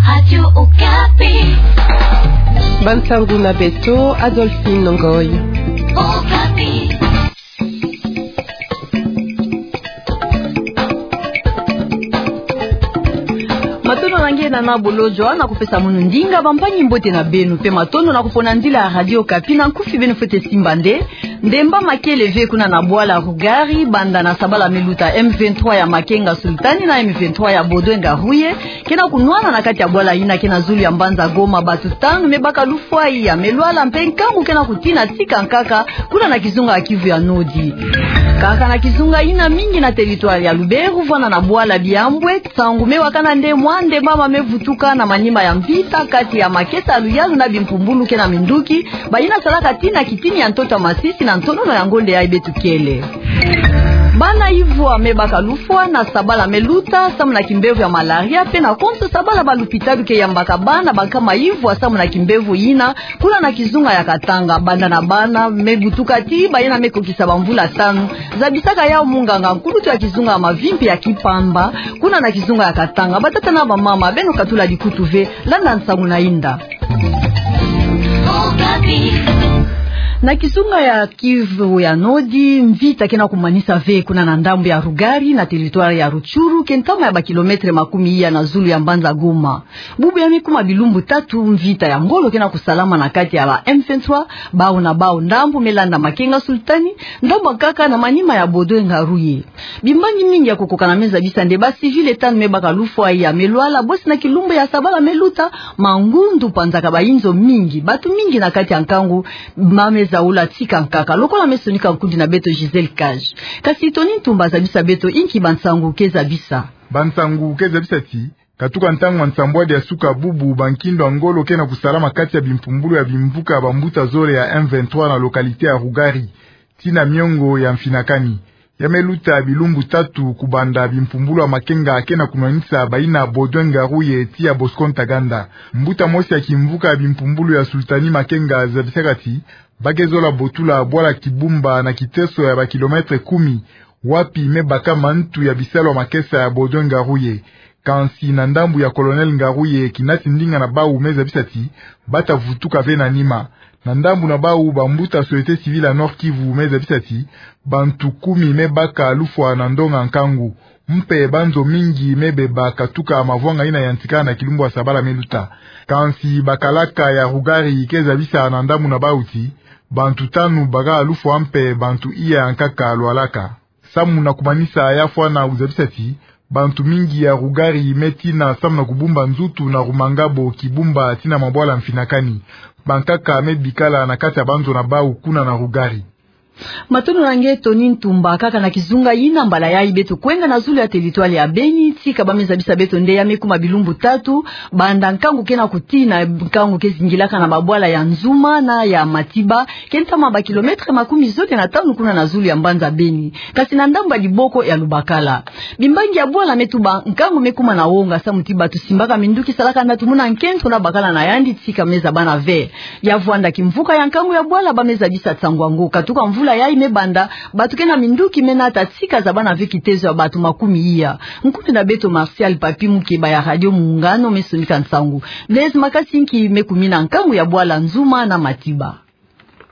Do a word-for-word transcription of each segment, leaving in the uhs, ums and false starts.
Radio Okapi. Bansangu na beto, Adolphine Ngoy. Okapi. Matondo na nge na na bolojo na kupesa munu ndinga bampangi-mbote na beno, pe matondo na kupona nzila ya Radio Okapi na nkufi beno fwete simba nde. Ndemba makele ve kuna na bwala Rougari, banda na sabala meluta M vingt-trois ya Makenga Sultani na M vingt-trois ya Baudouin Ngaruye, ke na kunwana na kati ya bwala yina ke na zulu ya mbanza Goma, bantu tanu me baka lufwa iya, me lwala mpe nkangu ke na kutina tika nkaka, kuna na kizunga ya Kivu ya Nodi. Kaka na kizunga yina, mingi na territoire ya Luberu, vwanda na bwala Biambwe, nsangu me wakana nde mwa ndemba mama me vutuka na manima ya mvita kati ya makesa ya luyalu na bimpumbulu ke na minduki, bayina salaka tii na kitini ya ntoto ya Masisi na ntonono ya ngonde yayi beto kele. Bana ivwa me baka lufwa na sabala meluta, samu na kimbevo ya malaria, pe na konso sabala balupitalu ke yambaka bana bankama ivwa samu na kimbevo yina, kuna na kizunga ya Katanga, banda na bana me butuka tii bayina me kokisa bamvula tanu, zabisaka yawu munganga nkulutu ya kizunga ya mavimpi ya Kipamba, kuna na kizunga ya Katanga. Batata na bamama, beno katula dikutu ve, landa nsangu na inda. Na kizunga ya Kivu ya Nodi, mvita ke na kumanisa ve kuna na ndambu ya Rougari, na territoire ya Rutshuru, ke ntama ya bakilometre makumi iya na zulu ya mbanza Goma. Bubu ya me kuma bilumbu tatu mvita ya ngolo ke na kusalama na kati ya ba M vingt-trois, bawu na bawu ndambu me landa Makenga Sultani, ndambu nkaka na manima ya Baudouin Ngaruye. Bimbangi mingi ya kukokana me zabisa nde ba civils tanu me baka lufwa iya, me lwala, bosi na kilumbu ya sabala meluta, mangundu panzaka bayinzo mingi, bantu mingi na kati ya nkangu ba me zaula tika nkaka, lokola me sonika nkundi na beto Gisèle Cage. Kasi Tony Ntumba zabisa beto inki bansangu ke zabisa. Bansangu ke zabisa ti, katuka ntangu ya nsambwadi ya suka bubu, bankindo ya ngolo ke na kusalama kati ya bimpumbulu ya bimvuka bambuta zole ya M vingt-trois na localité ya Rougari, tii na miongo ya mfinakani. Ya me luta bilumbu tatu kubanda, bimpumbulu ya Makenga ke na kunwanisa bayina Baudouin Ngaruye tii ya Bosco Ntaganda. Mbuta mosi ya kimvuka ya bimpumbulu ya Sultani Makenga zabisaka ti, ba ke zola botula bwala Kibumba na kiteso ya bakilometre kumi, wapi me baka mantu ya bisalu ya makesa ya Baudouin Ngaruye. Kansi na ndambu ya Colonel Ngaruye, kinati ndinga na bawu me zabisa ti, bata vutuka ve na nima. Na ndambu na bawu, bambuta société civile ya Nord-Kivu me zabisa ti, bantu kumi me baka lufwa na ndonga nkangu. Mpe banzo mingi me beba katuka mavwanga yina yantika na kilumbu ya sabala meluta. Kansi bakalaka ya Rougari ke zabisa na ndambu na bawu ti, bantu tanu baka lufwa mpe bantu iya nkaka lwalaka. Samu na kumanisa, ya fwana kuzabisa ti, bantu mingi ya Rougari me tina samu na kubumba nzutu na Rumangabo, Kibumba tii na mabwala mfinakani. Bankaka me bikala na kati ya banzo na bawu kuna na Rougari. Matondo na nge Tony Ntumba. Kaka na kizunga yina, mbala yayi beto kwenda na zulu ya territoire ya Beni, tika ba me zabisa beto nde ya me kuma bilumbu tatu banda nkangu ke na kutina, nkangu ke zingilaka na babwala ya Nzuma na ya Matiba, ke ntama bakilometre makumi zole na tanu kuna na zulu ya mbanza Beni, kasi na ndambu ya liboko ya Lubakala. Bimbangi ya bwala me tuba nkangu me kuma na wonga samu ti bantu simbaka minduki, salaka natu muna nkento na bakala na yandi tika me zabana ve. Ya vwanda kimvuka ya nkangu ya bwala ba me zabisa nsangu yango. Katuka mvula yayi me banda, bantu ke na minduki me nata tika zabana ve kitezo ya bantu makumi iya. Nkutu na beto Martial Papi Mukeba ya Radio Muungano me sonika nsangu. Blaise, makasi inki me kumina nkangu ya bwala Nzuma na Matiba?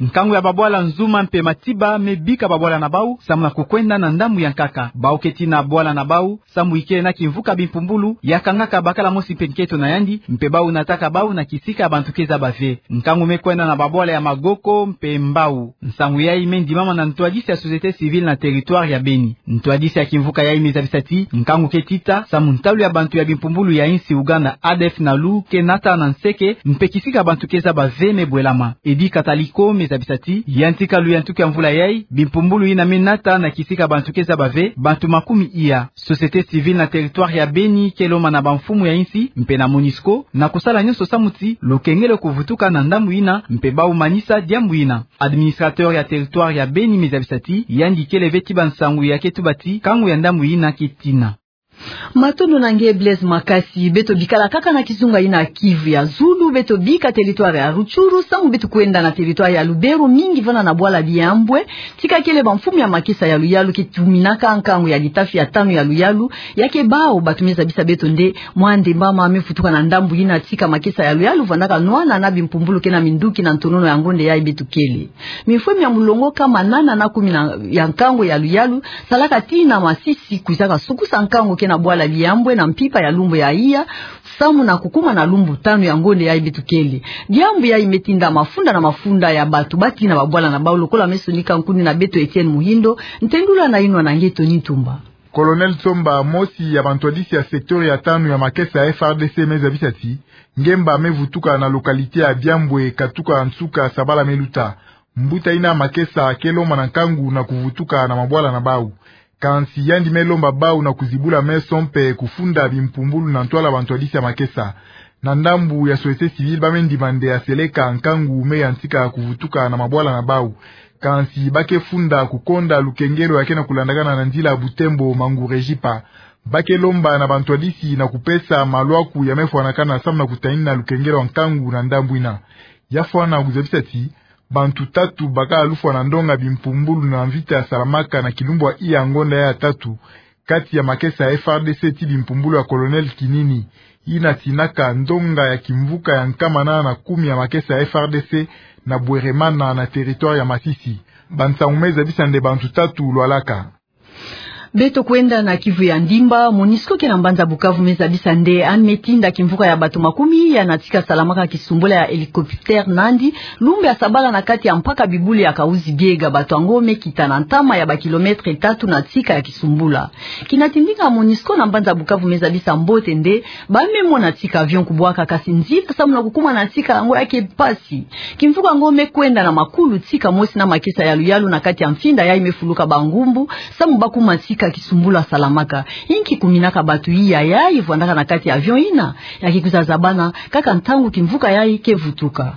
Nkangu ya babwala Nzuma mpe Matiba me bika babwala na bawu samu na kukwenda na ndambu ya nkaka. Bawu ke tina bwala na bawu, sambu ikele na kimvuka bimpumbulu ya kangaka bakala mosi mpe nkento na yandi, mpe bawu nataka bawu na kisika bantu ke zaba ve. Nkangu me kwenda na babwala ya Magoko mpe Mbau. Nsangu yayi me ndimama na ntwadisi ya société civile na territoire ya Beni. Ntwadisi ya kimvuka yayi me zabisa ti, nkangu ke tita samu ntalu ya bantu ya bimpumbulu ya insi Uganda, A D F Nalu, ke nata na nseke, mpe kisika bantu ke zaba ve me bwelama. Eddy Kataliko me zabisa ti, yantika luyantuku ya mvula yayi, bimpumbulu yina me nata na kisika bantu ke zaba ve, bantu makumi iya. Société civile na territoire ya Beni ke lomba na bamfumu ya insi, mpe na MONUSCO, na kusala nyonso samu ti lukengelo kuvutuka na ndambu yina, mpe bawu manisa diambu yina. Administrateur ya territoire ya Beni me zabisa ti, yandi kele ve ti bansangu ya ke tuba ti, nkangu ya ndambu yina ke tina. Matondo na nge Blaise Makasi. Beto bikala kaka na kizunga ina Kivu ya Zulu, beto bika territoire ya Rutshuru, samu beto kwenda na territoire ya Lubero, mingi vana na bwala Diambwe, tika kele bamfumu ya makesa ya luyalu ke tuminaka nkangu ya litafi ya tanu ya luyalu, ya ke bau batumeza bisa beto nde mwa ndembama me vutuka na ndambu ina tika makesa ya luyalu vandaka nwana na bimpumbulu ke na minduki na ntonono ya ngonde yayi beto kele. Mifwe mia mulongo kama nana na kumi na, ya nkangu ya luyalu, salaka tii na Masisi, kwizaka sukusa nkangu ke na bwala Diambwe na mpimpa ya lumbu ya iya, samu na kukuma na lumbu tanu ya ngonde yayi beto kele. Diambu yayi me tinda mafunda na mafunda ya bato batii na babwala na bau, lokola me sonika nkundi na beto Etienne Muhindo, ntendula na inwa na nge Tony Ntumba. Colonel Tsomba, mosi ya bantwadisi ya secteur ya tanu ya makesa ya F R D C, me zabisa ti ngemba me vutuka na localité ya Diambwe katuka nsuka sabala me luta. Mbuta ina makesa ke lomba na nkangu na kuvutuka na mabwala na bau. Kansi yandi me lomba bau na kuzibula meso mpe kufunda bimpumbulu na ntwala bantwadisi ya makesa. Na ndambu ya société civile, ba me ndima nde ya seleka nkangu me yantika kuvutuka na mabwala na bau. Kansi ba ke funda kukonda lukengelo ya ke na kulandakana na nzila Butembo Mangure Jipa. Ba ke lomba na bantwadisi na kupesa malwaku ya me fwanakana samu na kutanina lukengelo ya nkangu na ndambu ina. Ya fwana kuzabisa ti bantu tatu baka lufwa na ndonga bimpumbulu na mvita ya salamaka na kilumbu ya iya ngonda ya tatu, kati ya makesa ya F R D C ti bimpumbulu ya Colonel Kinini, ina tinaka ndonga ya kimvuka ya nkama nana na kumi ya makesa ya F R D C na Bweremana na territoire ya Masisi. Bansangu me zabisa nde bantu tatu lwalaka. Beto kwenda na Kivu ya Ndimba, MONUSCO ke na mbanza Bukavu me zabisa nde ane me tinda kimvuka ya bato makumi iya na tika salamaka kisumbula ya hélicoptère nandi lumbu ya sabala na kati ya mpaka Bibuli ya Kahuzi-Biega. Bato yango me kita na ntama ya ba kilomètre tatu na tika ya kisumbula. Kina ti ndinga MONUSCO na mbanza Bukavu me zabisa mbote nde ba me mona tika avion kubwaka, kasi nzila samu na kukuma na tika yango ya ke mpasi. Kimvuka yango me kwenda na makulu tika mosi na makesa ya luyalu na kati ya mfinda yayi me fuluka bangumbu, samu ba kuma tika kisumbula salamaka. Inki kuminaka bato iya yayi vwandaka na kati ya avion ina? Ya ke kwiza zabana kaka ntangu kimvuka yayi ke vutuka.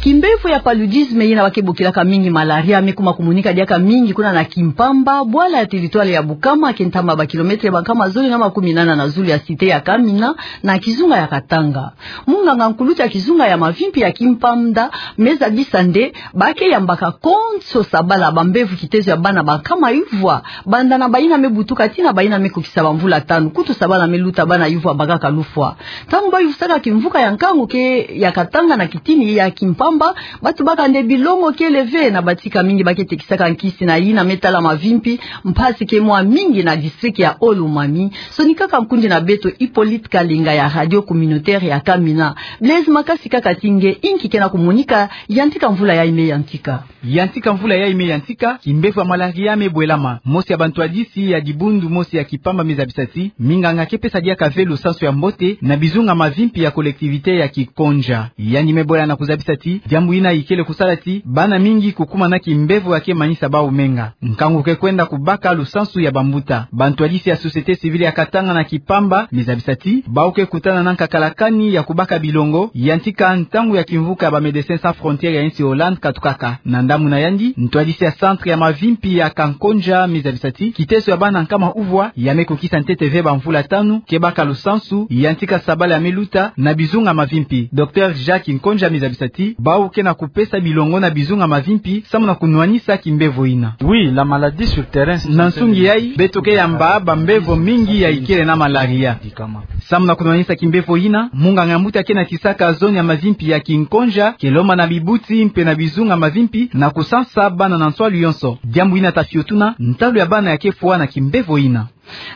Kimbevo ya paludisme ina ba ke bokilaka mingi malaria me kuma kumonika diaka mingi kuna na Kimpamba, bwala ya territoire ya Bukama, ke ntama ba kilomètre bankama zole na makumi nana na zulu ya cité ya Kamina, na kizunga ya Katanga. Munganga nkulutu ya kizunga ya mavimpi ya Kimpamba me zabisa nde ba ke yambaka konso sabala bambevo kitezo ya bana bankama yuvwa, banda na bayina me butuka tii na bayina me kukisa bamvula tanu. Kutu sabala me luta bana yuvwa bakaka lufwa. Ntangu ba yuvusaka kimvuka ya nkangu ke ya Katanga na kitini ya Kimpamba, bato baka nde bilongo kele ve, na batika mingi ba ke tekisaka nkisi na yina me tala mavimpi. Mpasi ke mwa mingi na district ya Haut-Lomami. Sonikaka nkundi na beto Hippolyte Kalinga ya radio communautaire ya Kamina. Blaise Makasi, kaka ti nge, inki ke na kumonika yantika mvula yayi me yantika? Yantika mvula yayi me yantika, kimbevo ya malaria me bwelama. Mosi ya bantwadisi ya dibundu mosi ya Kimpamba me zabisa ti minganga ke pesa diaka ve lusansu ya mbote na bizunga mavimpi ya collectivité ya Kikonja. Yandi me bola na kuzabisa ti diambu yina ikele kusala ti bana mingi kukuma na kimbevo ya ke manisa bau menga. Nkangu ke kwenda kubaka lusansu ya bambuta. Bantwadisi ya société civile ya Katanga na Kimpamba me zabisa ti bau ke kutana na nkakalakani ya kubaka bilongo yantika ntangu ya kimvuka ya ba Médecins Sans Frontières ya insi Hollande katukaka. Na ndambu na yandi, ntwadisi ya centre ya mavimpi ya Kankonja me zabisa ti kiteso ya bana nkama uvwa ya me kukisa ntete ve bamvula tanu ke baka lusansu yantika sabala ya me luta na bizunga mavimpi. Docteur Jacques Nkonja me zabisa ti bau ke na kupesa bilongo na bizunga mavimpi samu na kunwanisa kimbevo yina. Oui, la maladie sur terrain, c'est... Na nsungi yayi, beto ke yamba bambevo mingi ya ikele na malaria. Samu na kunwanisa kimbevo yina, munganga ya mbuta ke na tisaka zone ya mavimpi ya Kinkonja ke lomba na bibuti mpe na bizunga mavimpi na kusansa bana na nswalu yonso. Diambu yina ta fiotuna ntalu ya bana ya ke fwa na kimbevo yina.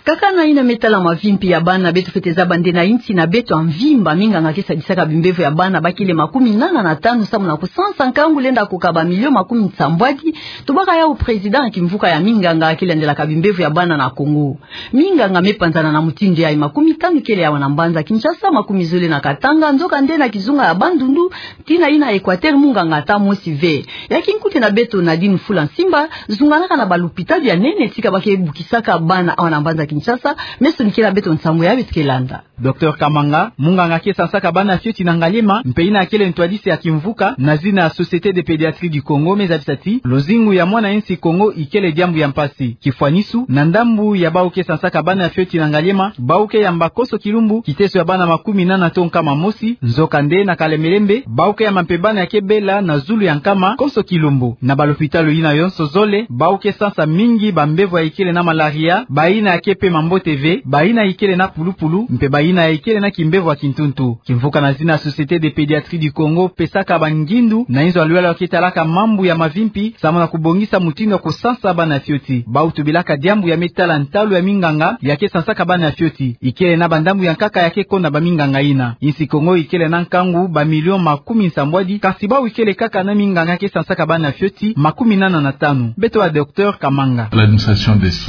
Kaka na yina me tala mavimpi ya bana, beto fwete zaba nde na insi na beto ya mvimba, minganga ke sadisaka bimbevo ya bana bakele makumi nana na tanu samu na kusansa nkangu lenda kukaba milio makumi nsambwadi. Tubaka yawu président ya kimvuka ya minganga ke landelaka bimbevo ya bana na Congo. Minganga me panzana na mutindu yayi, makumi tanu kele yawu na mbanza Kinshasa, makumi zole na Katanga, nzoka nde na kizunga ya Bandundu tii na yina Equateur munganga ata mosi ve. Ya kinkuti na beto Nadine Fula Nsimba zunganaka na balupitalu ya nene tika ba ke bukisaka bana awa na mbanza Kinshasa, meso ni kela beto nsangu ya beto ke landa. Docteur Kamanga, munganga ke sansaka bana fioti na Ngaliema, mpe yina akele ntwadisi ya kimvuka na zina Société de Pédiatrie du Congo, me zabisa ti luzingu ya mwana insi Kongo ikele diambu ya mpasi. Kifwanisu, na ndambu ya bawu ke sansaka bana fioti na Ngaliema, bawu ke yamba konso kilumbu kiteso ya bana makumi nana to nkama mosi, nzokande na Kalembelembe, bawu ke yamba mpe bana ya ke bela na zulu ya nkama konso kilumbu. Na balopitalo yina yonso zole, bawu ke sansa mingi bambevo ya ikele na malaria, bayina ya ke pema mbote ve, bayina ikele na pulupulu, mpe bayina ya ikele na kimbevo ya kintuntu. Kimvuka na zina Société de Pédiatrie du Congo pesaka bangindu na inzo ya luyalo ya ke talaka mambu ya mavimpi, samu na kubongisa mutindu ya kusansa bana fioti. Bawu tubilaka diambu ya me tala ntalu ya minganga ya ke sansaka bana fioti. Ikele na bandambu ya nkaka ya ke konda baminganga yina. Insi Kongo ikele na nkangu bamilio makumi nsambwadi, kasi bawu ikele kaka na minganga ke sansaka bana fioti makumi nana na tanu. Beto wa Docteur Kamanga.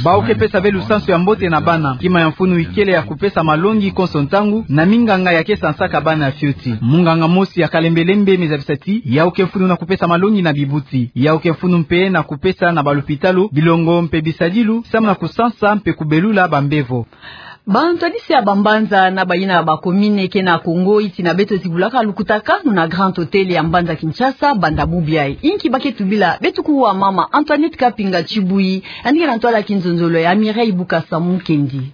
Bawu ke pesa ve lusansu ya mbote na bana. Kima ya mfunu ikele ya kupesa malongi konso ntangu na minganga ya ke sansaka bana fioti. Munganga mosi ya Kalembelembe me zabisa ti yawu ke mfunu na kupesa malongi na bibuti. Yawu ke mfunu mpe na kupesa na balopitalo bilongo mpe bisadilu, samu na kusansa mpe kubelula bambevo. Bantwadisi ya bambanza na bayina ya bakomine ke na Kongo, iti na beto zibulaka lukutakanu na Grand Hôtel ya mbanza Kinshasa banda bubu yayi. Inki ba ke tubila? Beto kuwa mama Antoinette Kapinga Tshibuyi, yandi ke na ntwala ya kinzonzolo ya Mireille Bukasa Mukendi.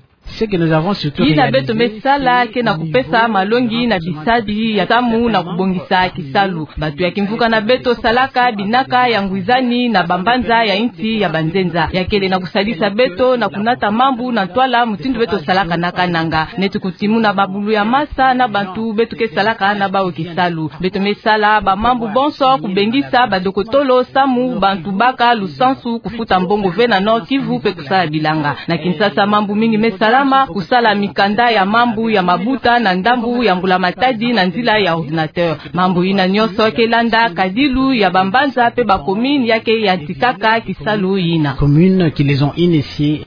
Yina beto me sala ke na kupesa malongi na bisadi ya samu na kubongisa kisalu. Bantu ya kimvuka na beto salaka binaka ya ngwizani na bambanza ya insi ya banzenza. Ya kele na kusadisa beto na kunata mambu na ntwala mutindu beto salaka na kananga. Neti kutimuna mabulu ya masa na bantu beto ke salaka na bawu kisalu. Beto me sala bamambu bonso kubengisa badokotolo samu bantu baka lusansu, kufuta mbongo ve na Nord-Kivu mpe kusala bilanga. Na Kinshasa mambu mingi me salama, kusala mikanda ya mambu ya mabuta na ndambu ya mbula matadi na nzila ya ordinateur. Mambu yina nyonso ke landa kadilu ya bambanza mpe bakomine ya ke yantikaka kisalu yina. Communes qui les ont initiés.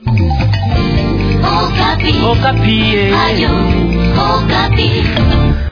Okapi. Okapi, eh. Radio Okapi.